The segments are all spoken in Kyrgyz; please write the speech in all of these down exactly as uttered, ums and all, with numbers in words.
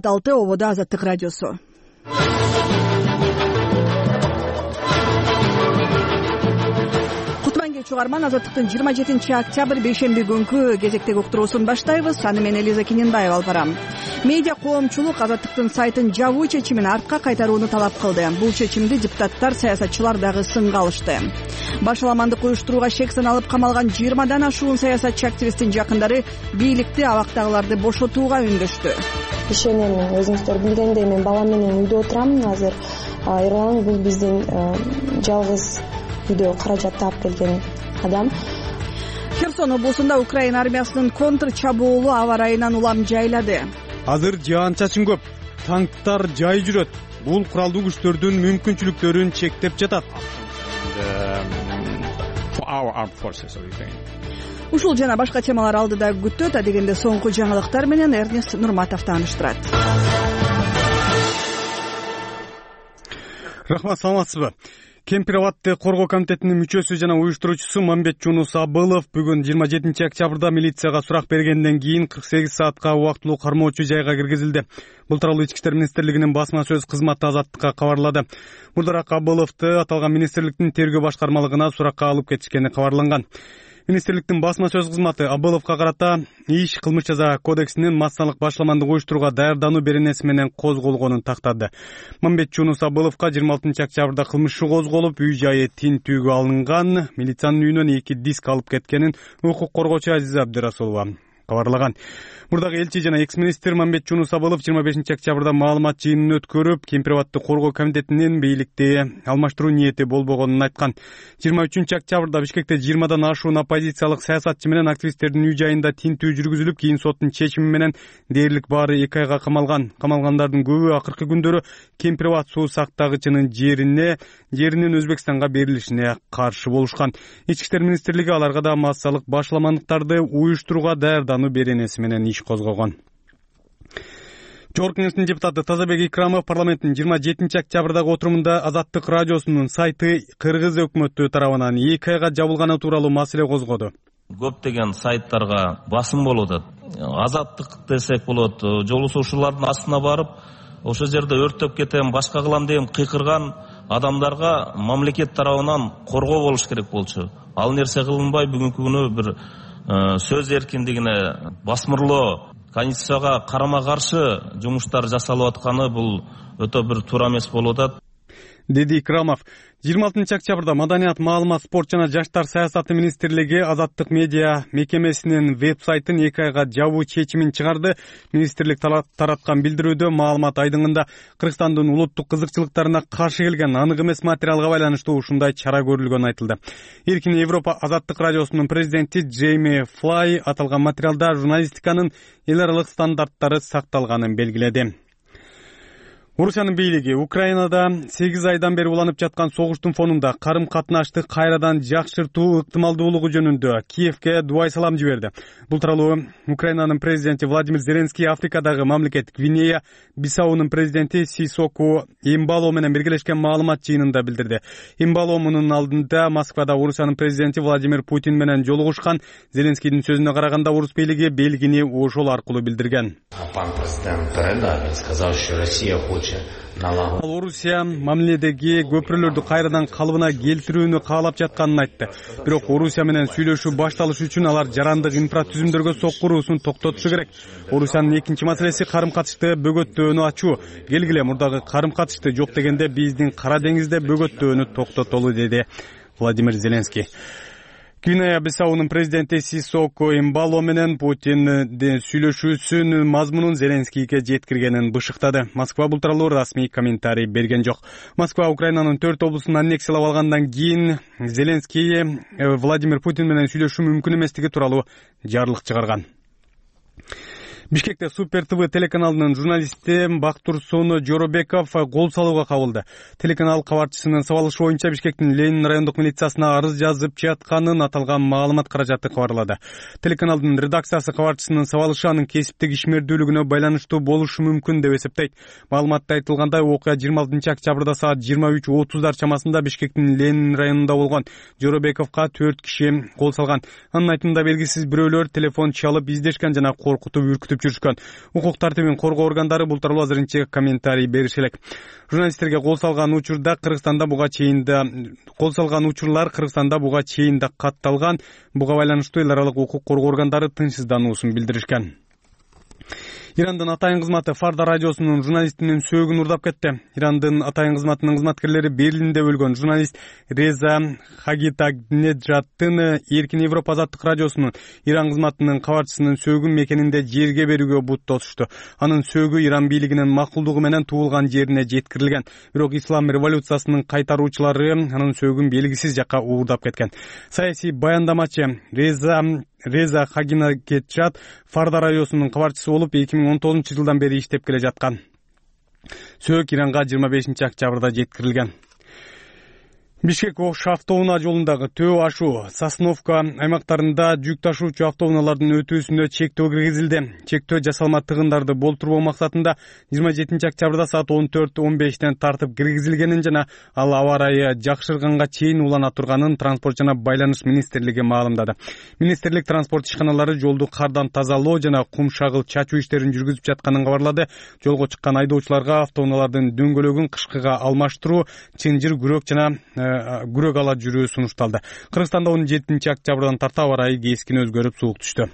алты ободо Азаттык радиосу. Чугарман Азаттыктын жыйырма жетинчи октябрь бейшемби күнкү кезектеги уктуруусун баштайбыз. Аны мен Элиза Киненбаева алып барам. Медиа коомчулук Азаттыктын сайтын жабуу чечимин артка кайтарууну талап кылды. Бул чечимди депутаттар, саясатчылар дагы сынга алышты. Башаламандык уюштурууга шек саналып камалган жыйырмадан ашуун саясатчы активисттин жакындары бийликти абактагыларды бошотууга үндөштү. Ишенемин, өзүңүздөр билгендей мен балам менен үйдө отурам. Азыр Эрлан бул биздин жалгыз үйдө каражат таап келген адам. Херсон облусунда Украина армиясынын контр чабуулу аба ырайынан улам жайлады. Азыр жаан-чачын көп, танктар жай жүрөт. Бул куралдуу күчтөрдүн мүмкүнчүлүктөрүн чектеп жатат. Ушул жана башка темалар алдыда күтөт. Адегенде соңку жаңылыктар менен Эрнест Нурматов тааныштырат. Рахмат, саламатсызбы? Кемпир абадты коргоо комитетинин мүчөсү жана уюштуруучусу Мамбет Жунус Абылов бүгүн жыйырма жетинчи октябрда милицияга сурак бергенден кийин кырк сегиз саатка убактылуу кармоочу жайга киргизилди. Бул тууралуу Ички иштер министрлигинин басма сөз кызматы Азаттыкка кабарлады. Мурдараак Абыловду аталган министрликтин тергөө башкармалыгына суракка алып кетишкени кабарланган. Министрликтин басма сөз кызматы Абыловго карата иш кылмыш жаза кодексинин массалык башаламандык уюштурууга даярдануу беренеси менен козголгонун тактады. Мамбет Жунус Абыловго жыйырма алтынчы октябрда кылмыш иши козголуп, үй жайы тинтүүгө алынган. Милициянын үйүнөн эки диск алып кеткенин укук коргоочу Азиза Абдырасулова кабарлаган. Мурдагы элчи жана экс-министр Мамбет Жунус Абылов жыйырма бешинчи октябрда маалымат жыйынын өткөрүп, Кемпир абадты коргоо комитетинин бийликти алмаштыруу ниети болбогонун айткан. жыйырма үчүнчү октябрда Бишкекте жыйырмадан ашуун оппозициялык саясатчы менен активисттердин үй жайында тинтүү жүргүзүлүп, кийин соттун чечими менен дээрлик баары эки айга камалган. Камалгандардын көбү акыркы күндөрү Кемпир абад суу сактагычынын жерине жеринин Өзбекстанга берилишине каршы болушкан. Ички иштер министрлиги аларга да массалык башаламандыктарды уюштурууга даярдануу беренеси менен иш козгогон. Жогорку кеңештин депутаты Тазабек Икрамов парламенттин жыйырма жетинчи октябрдагы отурумунда Азаттык радиосунун сайты Кыргыз өкмөтү тарабынан эки айга жабылганы тууралуу маселе козгоду. Көптөгөн сайттарга басым болуп атат. Азаттык десек болот, жолусу ушулардын астына барып, ошол жерде өрттөп кетем, башка кылам деген кыйкырган адамдарга мамлекет тарабынан коргоо болуш керек болчу. Ал нерсе кылынбай бүгүнкү күнү бир сөз эркиндигине басмырлоо, Конституцияга карама-каршы жумуштар жасалып атканы бул өтө бир туура эмес болуп атат, деди Икрамов. жыйырма алтынчы октябрда Маданият, маалымат, спорт жана жаштар саясаты министрлиги Азаттык медиа мекемесинин веб-сайтын эки айга жабуу чечимин чыгарды. Министрлик тараткан билдирүүдө маалымат айдыңында Кыргызстандын улуттук кызыкчылыктарына каршы келген анык эмес материалга байланыштуу ушундай чара көрүлгөнү айтылды. Эркин Европа Азаттык радиосунун президенти Джейми Флай аталган материалда журналистиканын эл аралык стандарттары сакталганын белгиледи. Орусиянын бийлиги Украинада сегиз айдан бери уланып жаткан согуштун фонунда карым-катнашты кайрадан жакшыртуу ыктымалдуулугу жөнүндө Киевке дубай салам жиберди. Бул тууралуу Украинанын президенти Владимир Зеленский Африкадагы мамлекет Гвинея Бисаунун президенти Сисоку Эмбало менен биргелешкен маалымат жыйынында билдирди. Эмбало мунун алдында Москвада Орусиянын президенти Владимир Путин менен жолугушкан. Зеленскийдин сөзүнө караганда орус бийлиги белгини ошол аркылуу билдирген. Пан президент передал, сказал, что Россия хочет. Ал Орусия мамиледеги көпүрөлөрдү кайрадан калыбына келтирүүнү каалап жатканын айтты. Бирок Орусия менен сүйлөшүү башталыш үчүн алар жарандык инфратүзүмдөргө соккуруусун токтотушу керек. Орусиянын экинчи маселеси карым-катышты бөгөттөөнү ачуу. Келгиле мурдагы карым-катышты жок дегенде биздин Кара деңизде бөгөттөөнү токтотолу, деди Владимир Зеленский. Гвинея Бисаунун президенти Сисоку Эмбало менен Путиндин сүйлөшүүсүнүн мазмунун Зеленскийге жеткиргенин бышыктады. Москва бул тууралуу расмий комментарий берген жок. Москва Украинанын төрт облусун аннексиялап алгандан кийин Зеленский Владимир Путин менен сүйлөшүү мүмкүн эместиги тууралуу жарлык чыгарган. Бишкекте Супер ТВ телеканалынын журналисти Бактурсун Жоробеков кол салууга кабылды. Телеканал кабарчысынын сабалышы боюнча Бишкектин Ленин райондук милициясына арыз жазып жатканын аталган маалымат каражаты кабарлады. Телеканалдын редакциясы кабарчысынын сабалышы анын кесиптик ишмердүүлүгүнө байланыштуу болушу мүмкүн деп эсептейт. Маалыматта айтылгандай, окуя жыйырма алтынчы октябрда саат жыйырма үч отуздар чамасында Бишкектин Ленин районунда болгон. Жоробековго төрт киши кол салган. Анын айтымында белгисиз бирөөлөр телефон чалып издешкен жана коркутуп үркүтүп күтүп жүрүшкөн. Укук тартибин коргоо органдары бул тууралуу азырынча комментарий бериши элек. Журналисттерге кол салган учурда Кыргызстанда буга чейин да кол салган учурлар Кыргызстанда буга чейин да катталган. Буга байланыштуу эл аралык укук коргоо органдары тынчсыздануусун билдиришкен. Ирандын атайын кызматы Фарда радиосунун журналистинин сөөгүн урдап кетти. Ирандын атайын кызматынын кызматкерлери Берлинде өлгөн журналист Реза Хагитагнеджаттын Эркин Европа азаттык радиосунун Иран кызматынын кабарчысынын сөөгүн мекенинде жерге берүүгө бут тосушту. Анын сөөгү Иран бийлигинин макулдугу менен туулган жерине жеткирилген. Бирок ислам революциясынын кайтаруучулары анын сөөгүн белгисиз жакка уурдап кеткен. Саясий баяндамачы Реза Реза Хагинакетчат Фарда радиосунун кабарчысы болуп эки миң он тогузунчу жылдан бери иштеп келе жаткан. Сөök Иранга жыйырма бешинчи октябрда жеткирилген. Бишкек Ош автоунаа жолундагы Төө ашуу, Сосновка аймактарында жүк ташуучу автоунаалардын өтүүсүнө чектөө киргизилди. Чектөө жасалма тыгындарды болтурбоо максатында жыйырма жетинчи октябрда саат он төрт он бештен тартып киргизилгенин жана ал аба ырайы жакшырганга чейин улана турганын Транспорт жана Байланыш министрлиги маалымдады. Министрлик транспорт ишканалары жолду кардан тазалоо жана кум шагыл чачуу иштерин жүргүзүп жатканын кабарлады. Жолго чыккан айдоочуларга автоунаалардын дөңгөлөгүн кышкыга алмаштыруу, чынжыр күрөк жана күрөк ала жүрүү сунушталды. Кыргызстанда он жетинчи октябрдан тарта аба ырайы кескин өзгөрүп суук түштү.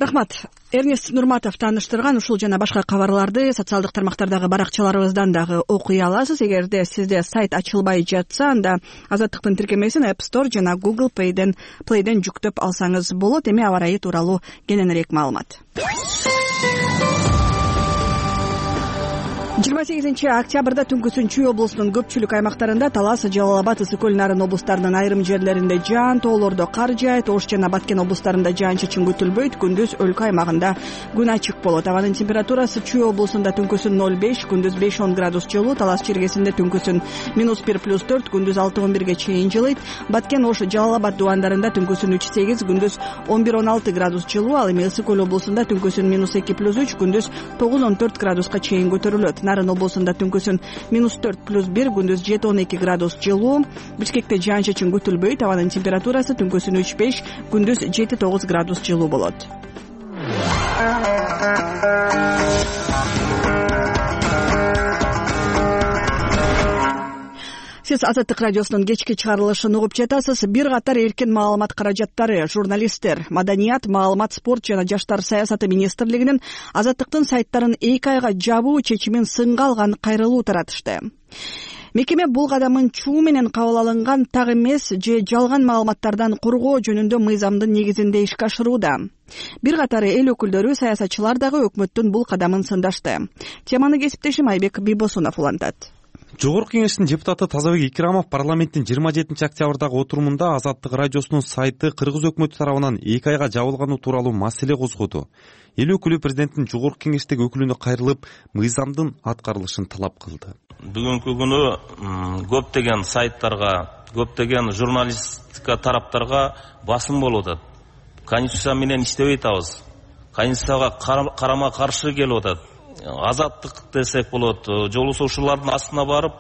Рахмат. Эрнест Нурматов тааныштырган ушул жана башка кабарларды социалдык тармактардагы баракчаларыбыздан дагы окуй аласыз. Эгерде сизде сайт ачылбай жатса, анда Азаттыктын тиркемесин App Store жана Google Play'ден Play'ден жүктөп алсаңыз болот. Эми аба ырайы тууралуу кененирээк маалымат. жыйырма сегизинчи октябрда түнкүсүн Чүй облусунун көпчүлүк аймактарында Талас, Жалал Абад, Ысык көл, Нарын облустарынын айрым жерлеринде жаан, тоолордо кар жаайт. Ош жана Баткен облустарында жаан-чачын күтүлбөйт. Күндүз өлкө аймагында күн ачык болот. Абанын температурасы Чүй облусунда түнкүсүн ноль беш, күндүз беш он градус жылуу. Талас чиркесинде түнкүсүн минус бир плюс төрт, күндүз алты он бирге чейин жылыйт. Баткен, Ош, Жалал Абад дубандарында түнкүсүн үч сегиз, күндүз он бир он алты градус жылуу. Ал эми Ысык көл облусунда түнкүсүн минус эки плюс үч, күндүз тогуз он төрт градуска чейин көтөрүлөт. Нарын облусунда түнкүсүн минус төрт плюс бир, күндүз жети он эки градус жылуу. Бишкекте жаан-чачын күтүлбөйт. Абанын температурасы түнкүсүн үч беш, күндүз жети тогуз градус жылуу болот. Сиз Азаттык радиосунун кечки чыгарылышын угуп жатасыз. Бир катар эркин маалымат каражаттары, журналисттер, маданият, маалымат, спорт жана жаштар саясаты министрлигинин Азаттыктын сайттарын эки айга жабуу чечимин сынга алган кайрылуу таратышты. Мекеме бул кадамын чуу менен кабыл алынган так эмес же жалган маалыматтардан коргоо жөнүндө мыйзамдын негизинде ишке ашырууда. Бир катары эл өкүлдөрү, саясатчылар дагы өкмөттүн бул кадамын сындашты. Теманы кесиптешим Айбек Бибосунов улантат. Жогорку кеңештин депутаты Тазабек Икрамов парламенттин жыйырма жетинчи октябрдагы отурумунда Азаттык радиосунун сайты Кыргыз өкмөтү тарабынан эки айга жабылганы тууралуу маселе козгоду. Эл өкүлү президенттин жогорку кеңештеги өкүлүнө кайрылып, мыйзамдын аткарылышын талап кылды. Бүгүнкү күнү көптөгөн сайттарга, көптөгөн журналистика тараптарга басым болуп атат. Конституция менен иштебей атабыз. Конституцияга карама каршы келип атат. Азаттык десек болот, жолугушуулардын астына барып,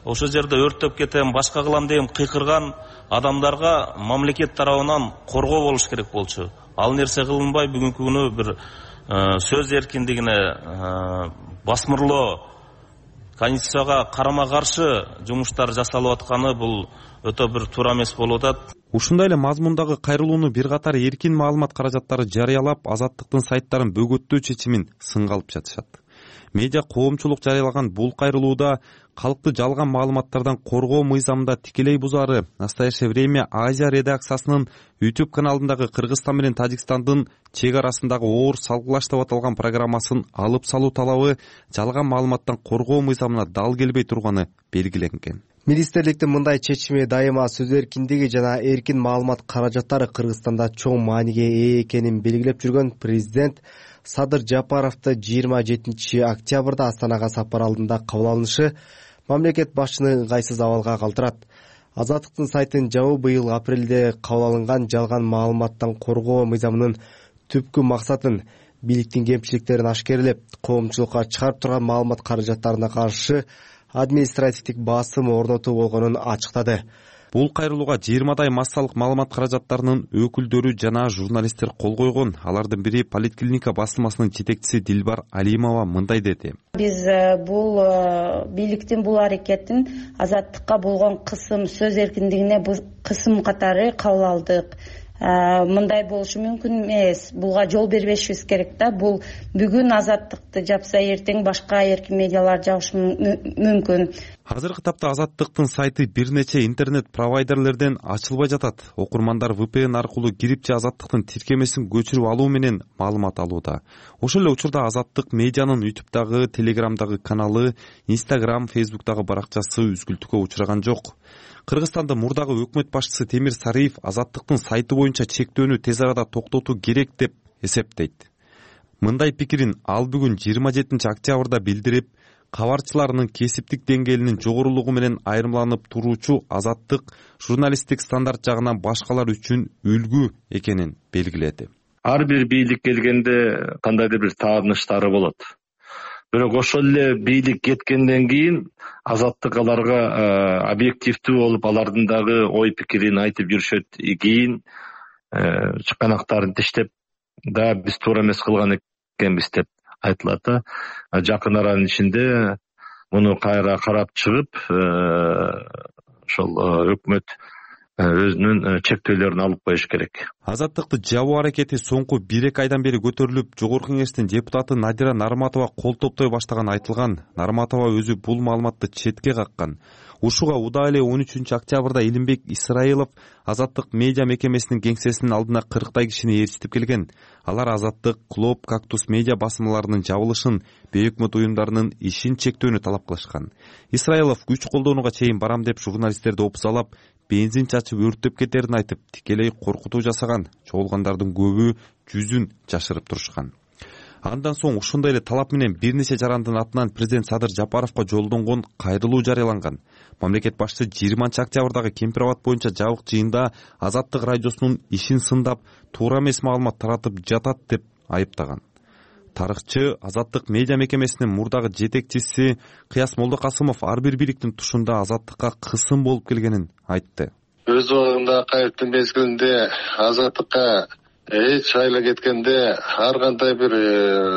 ошол жерде өрттөп кетем, башка кылам деп кыйкырган адамдарга мамлекет тарабынан коргоо болуш керек болчу. Ал нерсе кылынбай, бүгүнкү күнү бир сөз эркиндигине басмырлоо, конституцияга карама каршы жумуштар жасалып атканы бул өтө бир туура эмес болуп атат. Ушундай эле мазмундагы кайрылууну бир катар эркин маалымат каражаттары жарыялап, Азаттыктын сайттарын бөгөттөө чечимин сынга алып жатышат. Медиа коомчулук жарыялаган бул кайрылууда калкты жалган маалыматтардан коргоо мыйзамында тикелей бузары Настоящее время Азия редакциясынын YouTube каналындагы Кыргызстан менен Тажикстандын чек арасындагы оор салгылаш деп аталган программасын алып салуу талабы жалган маалыматтан коргоо мыйзамына дал келбей турганы белгиленген. Министрликтин мындай чечими дайыма сөз эркиндиги жана эркин маалымат каражаттары Кыргызстанда чоң мааниге ээ экенин белгилеп жүргөн президент Садыр Жапаровду жыйырма жетинчи октябрда Астанага сапар алдында кабыл алынышы мамлекет башчыны ыңгайсыз абалга калтырат. Азаттыктын сайтын жабуу быйыл апрелде кабыл алынган жалган маалыматтан коргоо мыйзамынын түпкү максатын, бийликтин кемчиликтерин ашкерлеп, коомчулукка чыгарып турган маалымат каражаттарына каршы административдик басым орнотуу болгонун ачыктады. бул кайрылууга жыйырмадай массалык маалымат каражаттарынын өкүлдөрү жана журналисттер кол койгон. Алардын бири Политклиника басылмасынын жетекчиси Дилбар Алимова мындай деди. Биз бул бийликтин бул аракетин азаттыкка болгон кысым, сөз эркиндигине кысым катары кабыл алдык. Мындай болушу мүмкүн эмес. Буга жол бербешибиз керек да. Бул бүгүн азаттыкты жапса, эртең башка эркин медиалар жабышы мүмкүн. Азыркы тапта Азаттыктын сайты бир нече интернет провайдерлерден ачылбай жатат. Окурмандар ви пи эн аркылуу кирип же Азаттыктын тиркемесин көчүрүп алуу менен маалымат алууда. Ошол эле учурда Азаттык медианын ютубтагы, телеграмдагы каналы, инстаграм, фейсбуктагы баракчасы үзгүлтүккө учураган жок. Кыргызстандын мурдагы өкмөт башчысы Темир Сариев Азаттыктын сайты боюнча чектөөнү тез арада токтотуу керек деп эсептейт. Мындай пикирин ал бүгүн жыйырма жетинчи октябрда билдирип, кабарчыларынын кесиптик деңгээлинин жогорулугу менен айырмаланып туруучу Азаттык журналисттик стандарт жагынан башкалар үчүн үлгү экенин белгиледи. Ар бир бийлик келгенде кандайдыр бир тааныштары болот. Бирок ошол эле бийлик кеткенден кийин Азаттык аларга объективдүү болуп, алардын дагы ой пикирин айтып жүрүшөт. Кийин чыканактарын тиштеп, да биз туура эмес кылган экенбиз деп айтылат да. Жакын аранын ичинде муну кайра карап чыгып, ошол өкмөт өзүнүн чектөөлөрүн алып коюш керек. Азаттыкты жабуу аракети соңку бир эки айдан бери көтөрүлүп, Жогорку кеңештин депутаты Надира Нарматова кол топтой баштаган айтылган. Нарматова өзү бул маалыматты четке каккан. Ушуга удаа эле он үчүнчү октябрда Илимбек Исраилов Азаттык медиа мекемесинин кеңсесинин алдына кырктай кишини ээрчитип келген. Алар Азаттык, Клоп, Кактус медиа басмаларынын жабылышын, бейөкмөт уюмдарынын ишин чектөөнү талап кылышкан. Исраилов күч колдонууга чейин барам деп журналисттерди опузалап, бензин чачып өрттөп кетерин айтып, тикелей коркутуу жасаган. Чогулгандардын көбү жүзүн жашырып турушкан. Андан соң ушундай эле талап менен бир нече жарандын атынан президент Садыр Жапаровго жолдонгон кайрылуу жарыяланган. Мамлекет башчысы жыйырманчы октябрдагы Кемпир абад боюнча жабык жыйында Азаттык радиосунун ишин сындап, туура эмес маалымат таратып жатат деп айыптаган. Тарыхчы Азаттык медиа мекемесинин мурдагы жетекчиси Кыяс Молдокасымов ар бир бийликтин тушунда Азаттыкка кысым болуп келгенин айтты. Өз убагында кайрылыктын мезгилинде Азаттыкка эч айла кеткенде ар кандай бир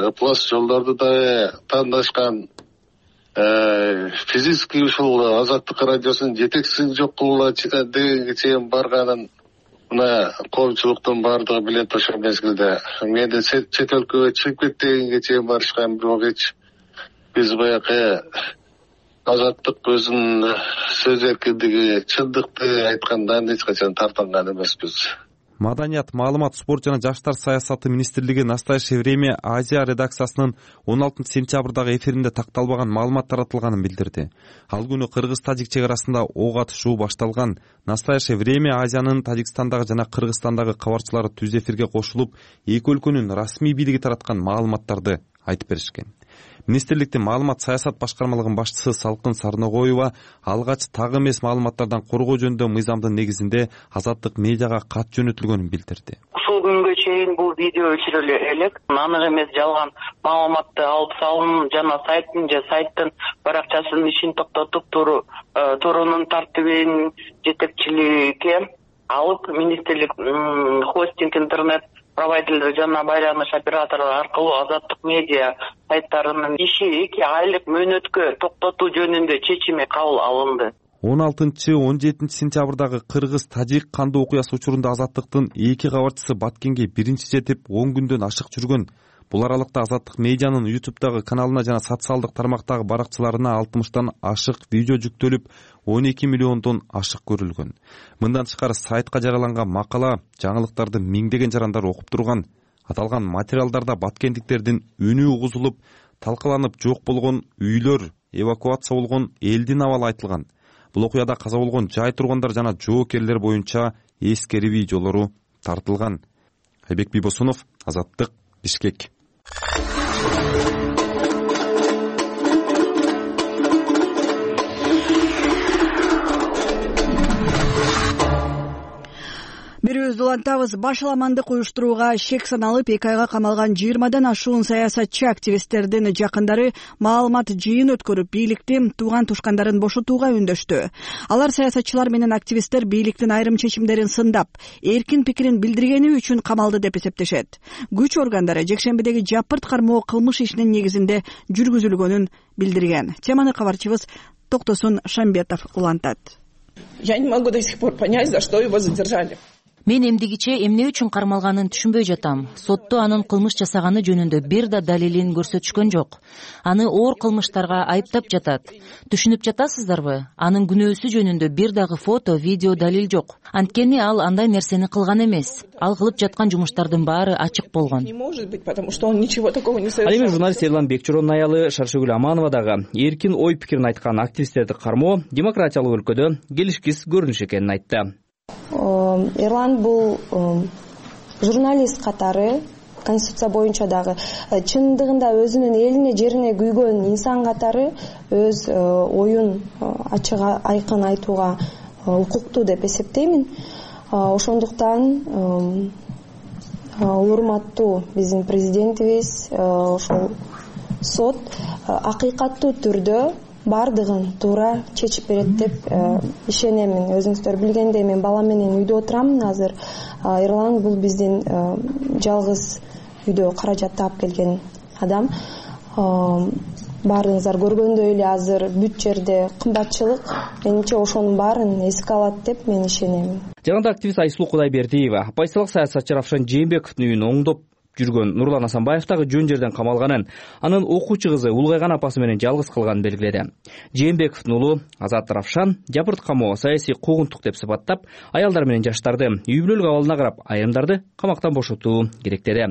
ыплас жолдорду да тандашкан, физический ушул Азаттык радиосунун жетекчисин жок кылууга дегенге чейин барганын мына коомчулуктун баардыгы билет. Ошол мезгилде менде чет өлкөгө чыгып кет дегенге чейин барышкан, бирок эч биз баягы Азаттык өзүнүн сөз эркиндиги, чындыкты айткандан эч качан тартынган эмеспиз. Маданият, маалымат, спорт жана жаштар саясаты министрлиги Настоящее время Азия редакциясынын он алтынчы сентябрдагы эфиринде такталбаган маалымат таратылганын билдирди. Ал күнү Кыргыз-Тажик чек арасында ок атышуу башталган. Настоящее время Азиянын Тажикстандагы жана Кыргызстандагы кабарчылары түз эфирге кошулуп, эки өлкөнүн расмий бийлиги тараткан маалыматтарды айтып беришкен. Министрликтин маалымат саясат башкармалыгынын башчысы Салкын Сарногоева алгач так эмес маалыматтардан коргоо жөнүндө мыйзамдын негизинде Азаттык медиага кат жөнөтүлгөнүн билдирди. Ушул күнгө чейин бул видео өчүрүлө элек, анык эмес жалган маалыматты алып салым жана сайттын же сайттын баракчасынын ишин токтотуп туруу туруунун тартибин жетекчиликке алып, министрлик хостинг интернет провайдерлер жана байланыш операторлору аркылуу Азаттык медиа сайттарынын иши эки айлык мөөнөткө токтотуу жөнүндө чечими кабыл алынды. он алтынчы он жетинчи сентябрдагы Кыргыз-Тажик кандуу окуясы учурунда Азаттыктын эки кабарчысы Баткенге биринчи жетип он күндөн ашык жүргөн. Бул аралыкта Азаттык медианын ютубтагы каналына жана социалдык тармактагы баракчыларына алтымыштан ашык видео жүктөлүп, он эки миллиондон ашык көрүлгөн. Мындан тышкары сайтка жарыяланган макала, жаңылыктарды миңдеген жарандар окуп турган. Аталган материалдарда баткендиктердин үнү угузулуп, талкаланып жок болгон үйлөр, эвакуация болгон элдин абалы айтылган. Бул окуяда каза болгон жай тургандар жана жоокерлер боюнча эскери видеолору тартылган. Айбек Бибосунов, Азаттык, Бишкек. Бирөөбүз улантабыз. Башаламандык уюштурууга шек саналып эки айга камалган жыйырмадан ашуун саясатчы активисттердин жакындары маалымат жыйын өткөрүп, бийликти тууган тушкандарын бошотууга үндөштү. Алар саясатчылар менен активисттер бийликтин айрым чечимдерин сындап, эркин пикирин билдиргени үчүн камалды деп эсептешет. Күч органдары жекшембидеги жапырт кармоо кылмыш ишинин негизинде жүргүзүлгөнүн билдирген. Теманы кабарчыбыз Токтосун Шамбетов улантат. Я не могу до сих пор понять, за что его задержали. Мен эмдигиче эмне үчүн кармалганын түшүнбөй жатам. Сотто анын кылмыш жасаганы жөнүндө бир да далилин көрсөтүшкөн жок. Аны оор кылмыштарга айыптап жатат. Түшүнүп жатасыздарбы? Анын күнөөсү жөнүндө бир дагы фото, видео далил жок. Анткени ал андай нерсени кылган эмес. Ал кылып жаткан жумуштардын баары ачык болгон. Не может быть, потому что он ничего такого не совершал. Ал эми журналист Эрлан Бекчоронун аялы Шаршыгүл Аманова дагы эркин ой пикирин айткан активисттерди кармоо демократиялык өлкөдө келишкис көрүнүш экенин айтты. Эрлан бул журналист катары конституция боюнча дагы чындыгында өзүнүн элине жерине күйгөн инсан катары өз оюн ачык айкын айтууга укуктуу деп эсептеймин. Ошондуктан урматтуу биздин президентибиз ошол сот акыйкаттуу түрдө бардыгын туура чечип берет деп ишенемин. Өзүңүздөр билгендей, мен балам менен үйдө отурам азыр. Эрлан бул биздин жалгыз үйдө каражат таап келген адам. Баарыңыздар көргөндөй эле азыр бүт жерде кымбатчылык, менимче ошонун баарын эске алат деп мен ишенемин. Жагында активист Айсулуу Кудайбердиева оппозициялык саясатчы Равшан Жээнбековдун үйүн оңдоп жүргөн Нурлан Асанбаев дагы жөн жерден камалганын, анын окуучу кызы улгайган апасы менен жалгыз калганын белгиледи. Жээнбековдун уулу Азат Равшан жапырт камоо саясий куугунтук деп сыпаттап, аялдар менен жаштарды үй бүлөлүк абалына карап, айрымдарды камактан бошотуу керек деди.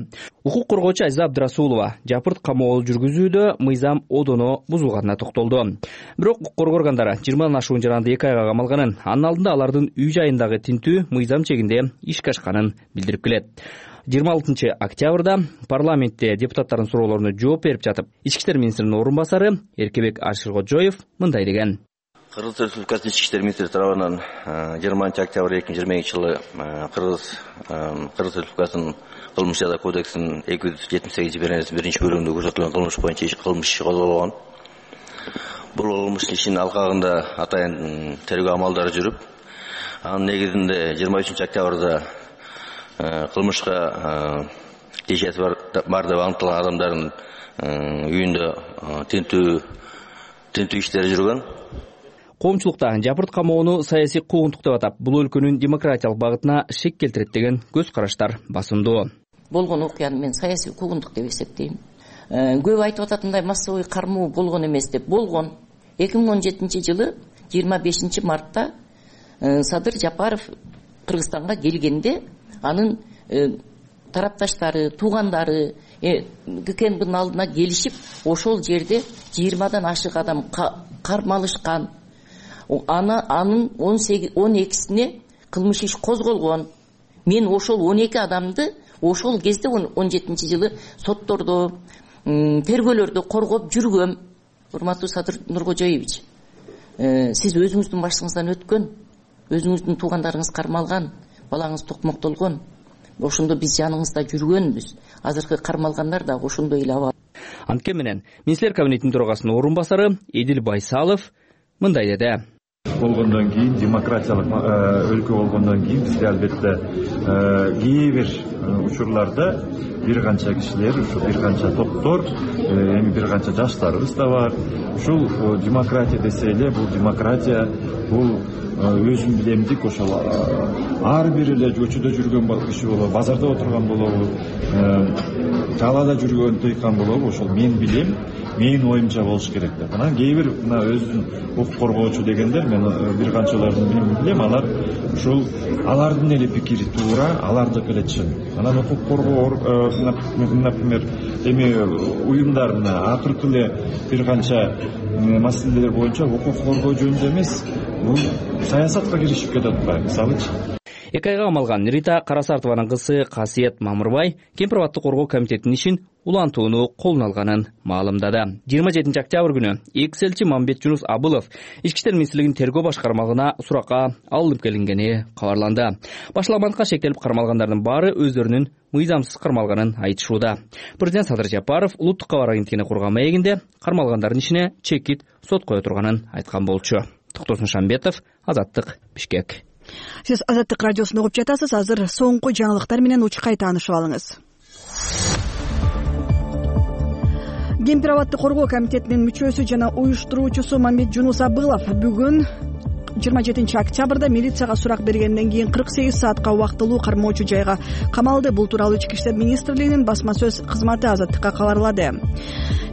Укук коргоочу Азиза Абдырасулова жапырт камоо жүргүзүүдө мыйзам одоно бузулганына токтолду. Бирок укук коргоо органдары жыйырмадан ашуун жаранды эки айга камалганын, анын алдында алардын үй жайындагы тинтүү мыйзам чегинде ишке ашканын билдирип келет. жыйырма алтынчы октябрда парламентте депутаттардын суроолоруна жооп берип жатып, Ички иштер министринин орун басары Эркебек Ашыркожоев мындай деген. Кыргыз Республикасынын Ички иштер министри тарабынан жыйырманчы октябрь эки миң жыйырма экинчи жылы Кыргыз Кыргыз Республикасынын кылмыш жаза кодексинин эки жүз жетимиш сегизинчи беренесинин биринчи бөлүгүндө көрсөтүлгөн кылмыш боюнча кылмыш иши козголгон. Бул кылмыш ишинин алкагында атайын тергөө амалдары жүрүп, анын негизинде жыйырма үчүнчү октябрда кылмышка тиешеси бар деп аныкталган адамдардын үйүндө тинтүү тинтүү иштери жүргөн. Коомчулукта жапырт камоону саясий куугунтук деп атап, бул өлкөнүн демократиялык багытына шек келтирет деген көз караштар басымдуу. Болгон окуяны мен саясий куугунтук деп эсептейм. Көп айтып ататындай массовый кармоо болгон эмес деп болгон. эки миң он жетинчи жылы жыйырма бешинчи мартта Садыр Жапаров Кыргызстанга келгенде анын тарапташтары, туугандары ГКНБнын алдына келишип, ошол жерде жыйырмадан ашык адам кармалышкан. Ана анын он экисине кылмыш иш козголгон. Мен ошол он эки адамды ошол кезде он жетинчи жылы соттордо, тергөөлөрдө коргоп жүргөм. Урматтуу Садыр Нуркожоевич, сиз өзүңүздүн башыңыздан өткөн, өзүңүздүн туугандарыңыз кармалган, балаңыз токмоктолгон. Ошондо биз жаныңызда жүргөнбүз. Азыркы кармалгандар да ошондой эле абал. Анткени менен министрлер кабинетинин төрагасынын орун басары Эдил Байсалов мындай деди. Болгондон кийин, демократиялык өлкө болгондон кийин бизде албетте кээ бир учурларда бир канча кишилер, ушу бир канча топтор, эми бир канча жаштарыбыз да бар. Ушул демократия десе эле, бул демократия, бул өзүн билемдик, ошол ар бир эле көчөдө жүргөн киши болобу, базарда отурган болобу, талаада жүргөн тыйкан болобу, ошол мен билем, менин оюмча болуш керек деп. Анан кээ бир мына өзүн укук коргоочу дегендер, мен бир канчаларын билем, алар ушул алардын эле пикири туура, алардык эле чын. Анан укук коргоо, например, эми уюмдар мына акыркы эле бир канча маселелер боюнча укук коргоо жөнүндө эмес, бул саясатка киришип кетип атпайбы, мисалычы. эки айга камалган Рита Карасартованын кызы Касиет Мамырбай Кемпир абадты коргоо комитетинин ишин улантууну колуна алганын маалымдады. жыйырма жетинчи октябрь күнү экс элчи Мамбетжунус Абылов Ички иштер министрлигинин тергөө башкармалыгына суракка алынып келингени кабарланды. Башаламандыкка шектелип кармалгандардын баары өздөрүнүн мыйзамсыз кармалганын айтышууда. Президент Садыр Жапаров улуттук кабар агенттигине курган маегинде кармалгандардын ишине чекит сот кое турганын айткан болчу. Токтосун Шамбетов, Азаттык, Бишкек. Сиз Азаттык радиосун угуп жатасыз. Азыр соңку жаңылыктар менен учкай таанышып алыңыз. Кемпир абадты коргоо комитетинин мүчөсү жана уюштуруучусу Мамбетжунус Абылов бүгүн жыйырма жетинчи октябрда милицияга сурак бергенден кийин кырк сегиз саатка убактылуу кармоочу жайга камалды. Бул тууралуу Ички иштер министрлигинин басма сөз кызматы Азаттыкка кабарлады.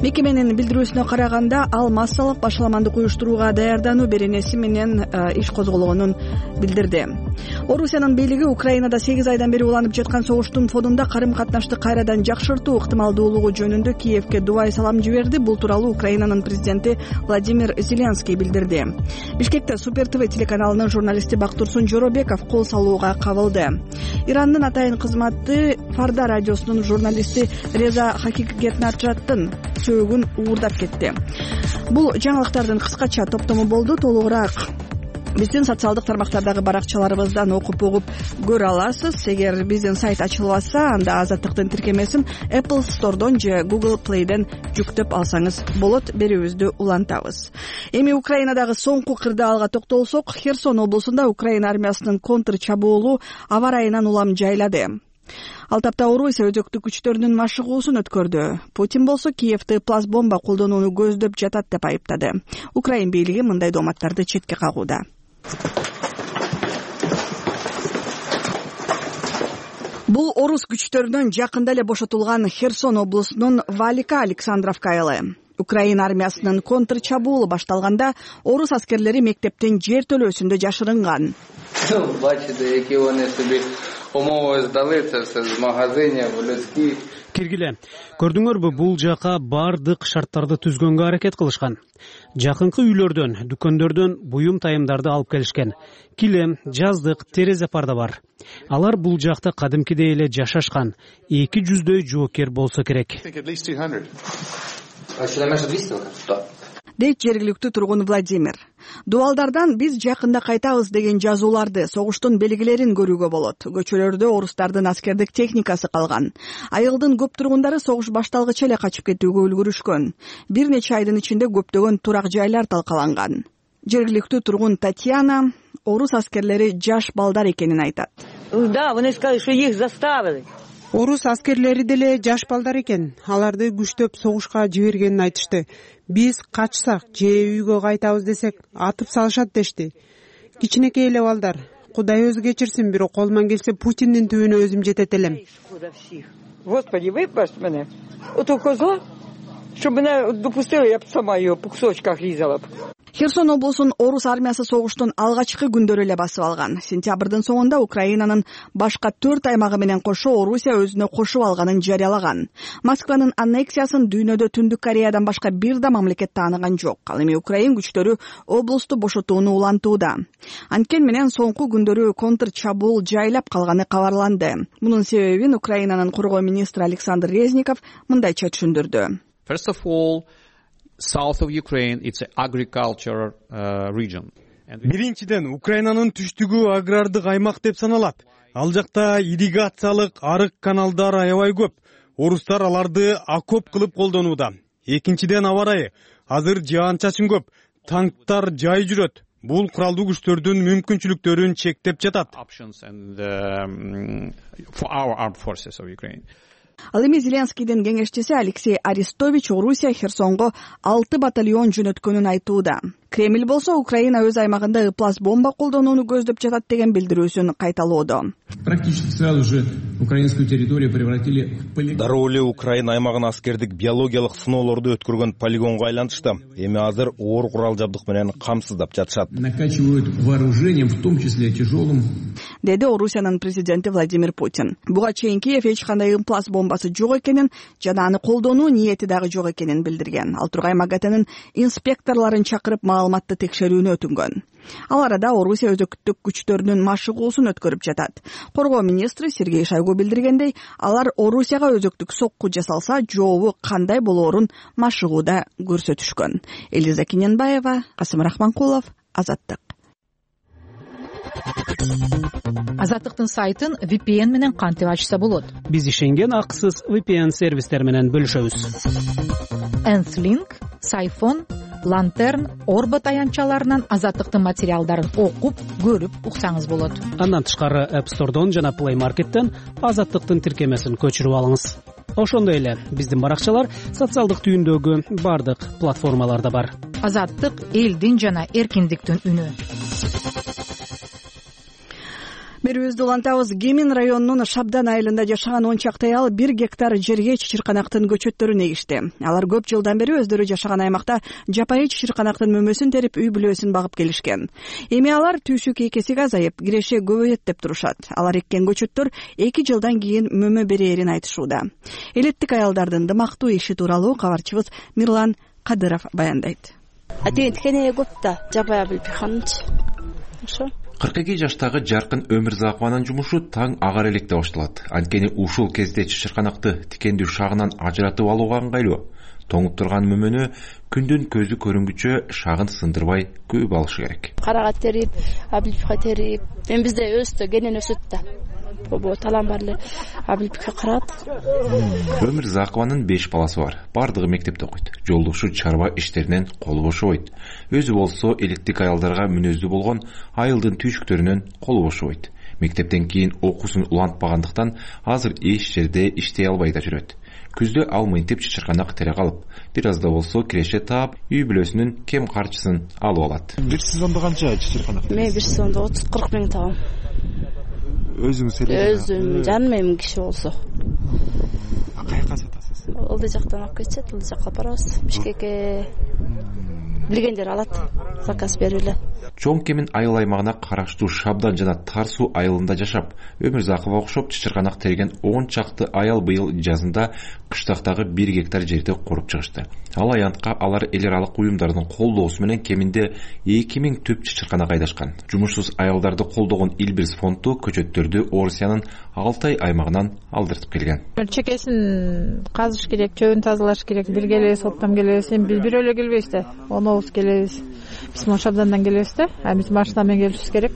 Мекеменин билдирүүсүнө караганда, ал массалык башаламандык уюштурууга даярдануу беренеси менен иш козголгонун билдирди. Орусиянын бийлиги Украинада сегиз айдан бери уланып жаткан согуштун фонунда карым-катнашты кайрадан жакшыртуу ыктымалдуулугу жөнүндө Киевке дубай салам жиберди. Бул тууралуу Украинанын президенти Владимир Зеленский билдирди. Бишкекте Супер ТВ телеканалынын журналисти Бактурсун Жоробеков кол салууга кабылды. Ирандын атайын кызматы Фарда радиосунун журналисти Реза Хакикетнаржаттын сөөгүн уурдап кетти. Бул жаңылыктардын кыскача топтому болду. Толугураак биздин социалдык тармактардагы баракчаларыбыздан окуп угуп көрө аласыз. Эгер биздин сайт ачылбаса, анда Азаттыктын тиркемесин Apple Store'дон же Google Play'ден жүктөп алсаңыз болот. Берүүбүздү улантабыз. Эми Украинадагы соңку кырдаалга токтолсок, Херсон облусунда Украина армиясынын контр чабуулу аба ырайынан улам жайлады. Ал тапта Орусия өзөктүк күчтөрүнүн машыгуусун өткөрдү. Путин болсо Киевти пласт бомба колдонууну көздөп жатат деп айыптады. Украин бийлиги мындай дооматтарды четке кагууда. Бул орус күчтөрүнөн жакында эле бошотулган Херсон облусунун Валика Александровка айылы. Украина армиясынын контр чабуулу башталганда орус аскерлери мектептин жер төлөөсүндө жашырынган. Бачыды, эки они себе умови здали, це все з магазинів, людських. Киргиле, көрдүңөрбү, бул жака бардык шарттарды түзгөнгө аракет кылышкан. Жакынкы үйлөрдөн, дүкөндөрдөн буюм тайымдарды алып келишкен. Килем, жаздык, терезе парда бар. Алар бул жакта кадимкидей эле жашашкан. эки жүздөй жоокер болсо керек. Дейт жергиликтүү тургун Владимир. Дубалдардан биз жакында кайтабыз деген жазууларды, согуштун белгилерин көрүүгө болот. Көчөлөрдө орустардын аскердик техникасы калган. Айылдын көп тургундары согуш башталгыча эле качып кетүүгө үлгүрүшкөн. Бир нече айдын ичинде көптөгөн турак жайлар талкаланган. Жергиликтүү тургун Татьяна орус аскерлери жаш балдар экенин айтат. Да, они сказали, что их заставили. Орус аскерлери деле жаш балдар экен. Аларды күчтөп согушка жибергенин айтышты. Биз качсак же үйгө кайтабыз десек, атып салышат дешти. Кичинекей эле балдар. Кудай өзү кечирсин, бирок колуман келсе Путиндин түбүнө өзүм жетет элем. Господи, выпасть мене. Ото коза, чтобы меня допустила, я бы сама ее по кусочках резала. Херсон облусун орус армиясы согуштун алгачкы күндөрү эле басып алган. Сентябрдын соңунда Украинанын башка төрт аймагы менен кошо Орусия өзүнө кошуп алганын жарыялаган. Москванын аннексиясын дүйнөдө Түндүк Кореядан башка бир да мамлекет тааныган жок. Ал эми Украин күчтөрү облусту бошотууну улантууда. Анткени менен соңку күндөрү контр чабуул жайлап калганы кабарланды. Мунун себебин Украинанын коргоо министри Александр Резников мындайча түшүндүрдү. First of all, south of Ukraine, it's an agriculture uh, region. Биринчиден, Украинанын түштүгү агрардык аймак деп саналат. Ал жакта ирригациялык арык каналдар аябай көп. Орустар аларды окоп кылып колдонууда. Экинчиден, аба ырайы. Азыр жаан-чачын көп. Танктар жай жүрөт. Бул куралдуу күчтөрдүн мүмкүнчүлүктөрүн чектеп жатат. Options and um, for our armed forces of Ukraine. Ал эми Зеленскийдин кеңешчиси Алексей Арестович Орусия Херсонго алты батальон жөнөткөнүн айтууда. Кремль болсо Украина өз аймагында ыплас бомба колдонууну көздөп жатат деген билдирүүсүн кайталоодо. Практически сразу же украинскую территорию превратили в полигон. Дароо эле Украина аймагын аскердик биологиялык сыноолорду өткөргөн полигонго айлантышты. Эми азыр оор курал жабдык менен камсыздап жатышат. Накачивают вооружением, в том числе тяжелым. Деди Орусиянын президенти Владимир Путин. Буга чейин Киев эч кандай ыплас бомбасы жок экенин жана аны колдонуу ниети дагы жок экенин билдирген. Ал Тургай МАГАТынын инспекторлорун чакырып маалыматты текшерүүнү өтүнгөн. Ал арада Орусия өзөктүк күчтөрүнүн машыгуусун өткөрүп жатат. Коргоо министри Сергей Шойгу билдиргендей, алар Орусияга өзөктүк сокку жасалса, жообу кандай болоорун машыгууда көрсөтүшкөн. Элиза Кененбаева, Касым Рахманкулов, Азаттык. Азаттыктын сайтын ви пи эн менен кантип ачса болот? Биз ишенген акысыз ви пи эн сервистер менен бөлүшөбүз. Энслинк, Сайфон, Лантерн, Орбо таянчаларынан Азаттыктын материалдарын окуп, көрүп уксаңыз болот. Андан тышкары App Store'дон жана Play Market'тен Азаттыктын тиркемесин көчүрүп алыңыз. Ошондой эле биздин баракчалар социалдык түйүндөгү бардык платформаларда бар. Азаттык элдин жана эркиндиктин үнү. Берүүбүздү улантабыз. Кемин районунун Шабдан айылында жашаган он чакты аял бир гектар жерге чычырканактын көчөттөрүн эгишти. Алар көп жылдан бери өздөрү жашаган аймакта жапайы чычырканактын мөмөсүн терип, үй бүлөсүн багып келишкен. Эми алар түйсүк экесиге азайып, киреше көбөйөт деп турушат. Алар эккен көчөттөр эки жылдан кийин мөмө берээрин айтышууда. Элеттик аялдардын дымактуу иши тууралуу кабарчыбыз Мирлан Кадыров баяндайт. Атен тикене көп да жапая билип ханчы. Ошо кырк эки жаштагы Жаркын Өмүрзакованын жумушу таң агар электе башталат. Анткени ушул кезде чычырканакты тикендүү шагынан ажыратып алууга ыңгайлуу. Тоңуп турган мөмөнү күндүн көзү көрүнгүчө шагын сындырбай көп алышы керек. Карага терип, абилпка терип, мен бизде өстө кенен өсөт да. Бо талан бар эле абилпке карат. Өмүрзакованын беш баласы бар. Бардыгы мектепте окуйт. Жолдошу чарба иштеринен колу бошобойт. Өзү болсо элеттик аялдарга мүнөздүү болгон айылдын түйшүктөрүнөн колу бошобойт. Мектептен кийин окуусун улантпагандыктан азыр эч жерде иштей албай да жүрөт. Күздө ал мынтип чычырканак тере калып, бир аз да болсо киреше таап, үй бүлөсүнүн кем карчысын алып алат. Бир сезондо канча чычырканак? Мен бир сезондо отуз кырк миң табам. Өзүңүз эле? Өзүм, жаным эми киши болсо. Каяка сатасыз? Ылдый жактан алып кетет, ылдый жакка барабыз. Бишкекке билгендер алат, заказ берип эле. Чоң Кемин айыл аймагына караштуу Шабдан жана Тар суу айылында жашап, Өмүрзакова окшоп чычырканак терген он чакты аял быйыл жазында кыштактагы бир гектар жерди коруп чыгышты. Ал аянтка алар эл аралык уюмдардын колдоосу менен кеминде эки миң түп чычырканак айдашкан. Жумушсуз аялдарды колдогон Илбирс фонду көчөттөрдү Орусиянын Алтай аймагынан алдыртып келген. Чекесин казыш керек, чөбүн тазалаш керек. Бир келебиз, оптом келебиз. Эми биз бирөө эле келбейбиз да. Онобуз келебиз. Биз могу Шабдандан келебиз да. А биз машина менен келишибиз керек.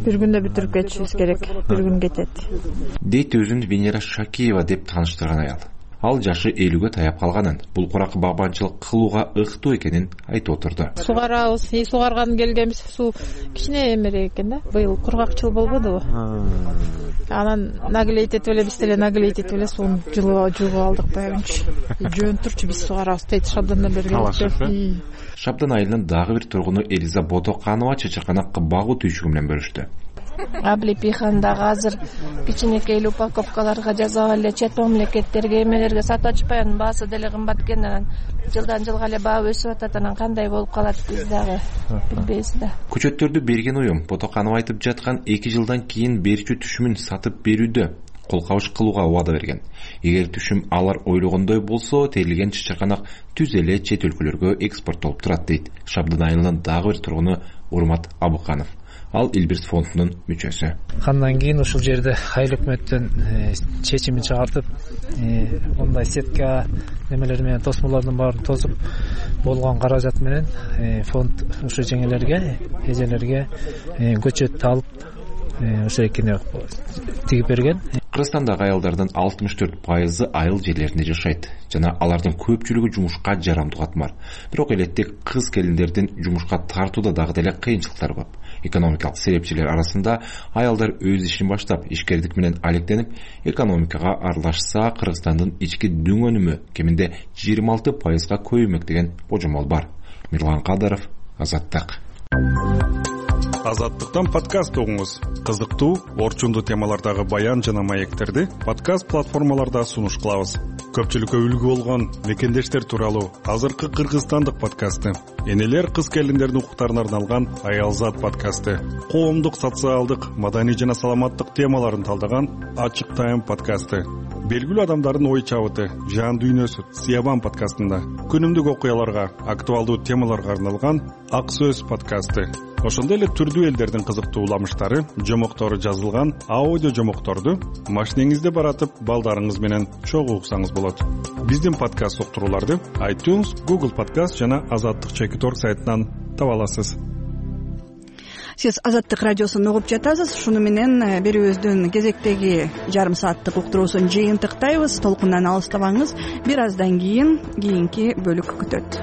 Бир күндө бүтүрүп кетишибиз керек. Бир күн кетет. Дейт өзүн Венера Шакиева деп тааныштырган аял. Ал жашы элүүгө таяп калганын, бул курак багбанчылык кылууга ыктуу экенин айтып отурду. Сугарабыз, сугарган келгенбиз, суу кичине эмерээк экен да. Быйыл кургакчыл болбодубу? Анан наглейт этип эле биз деле наглейт этип эле сууну жылып жуугуп алдык баягынчы. Жөн турчу биз сугарабыз дейт Шабдандан бери келип. Шабдан айылынын дагы бир тургуну Элиза Ботоканова чычырканак багуу түйшүгү менен бөлүштү. Аблипихандагы азыр кичинекей упаковкаларга жазап эле чет мамлекеттерге эмелерге сатып атышпай, анын баасы деле кымбат экен. Анан жылдан жылга эле баа өсүп атат. Анан кандай болуп калат биз дагы билбейбиз да. Көчөттөрдү берген уюм Ботоканова айтып жаткан эки жылдан кийин берчү түшүмүн сатып берүүдө кол кабыш кылууга убада берген. Эгер түшүм алар ойлогондой болсо, терилген чычырканак түз эле чет өлкөлөргө экспорттолуп турат дейт Шабдан айылынын дагы бир тургуну Урмат Абыканов. Ал Илбирс фондунун мүчөсү. Андан кийин ушул жерде айыл өкмөттөн чечимин чыгартып, мындай сетка немелер менен тосмолордун баарын тосуп болгон каражат менен фонд ушу жеңелерге, эжелерге көчөт алып ошо экени тигип берген. Кыргызстандагы аялдардын алтымыш төрт пайызы айыл жерлеринде жашайт жана алардын көпчүлүгү жумушка жарамдуу катмар. Бирок элеттик кыз келиндердин жумушка тартууда дагы деле кыйынчылыктар көп. Экономикалык себепчилер арасында аялдар өз ишин баштап, ишкердик менен алектенип, экономикага аралашса, Кыргызстандын ички дүң өнүмү кеминде жыйырма алты пайызга көбөймөк деген божомол бар. Мирлан Кадыров, Азаттык. Азаттыктан подкаст угуңуз. Кызыктуу, орчундуу темалардагы баян жана маектерди подкаст платформаларда сунуш кылабыз. Көпчүлүккө үлгү болгон мекендештер тууралуу азыркы кыргызстандык подкасты, энелер кыз келиндердин укуктарына арналган Аялзат подкасты, коомдук, социалдык, маданий жана саламаттык темаларын талдаган Ачык Тайм подкасты, белгилүү адамдардын ой чабыты, жан дүйнөсү Сиябан подкастында, күнүмдүк окуяларга, актуалдуу темаларга арналган Ак сөз подкасты, ошондой эле түрдүү элдердин кызыктуу уламыштары, жомоктору жазылган аудио жомокторду машинеңизде баратып балдарыңыз менен чогуу уксаңыз болот. Биздин подкаст уктурууларды iTunes, Google Podcast жана Азаттык чекит точка орг сайтынан таба аласыз. Сиз Азаттык радиосун угуп жатасыз. Шуну менен берүүбүздүн кезектеги жарым сааттык уктуруусун жыйынтыктайбыз. Толкундан алыстабаңыз. Бир аздан кийин кийинки бөлүк күтөт.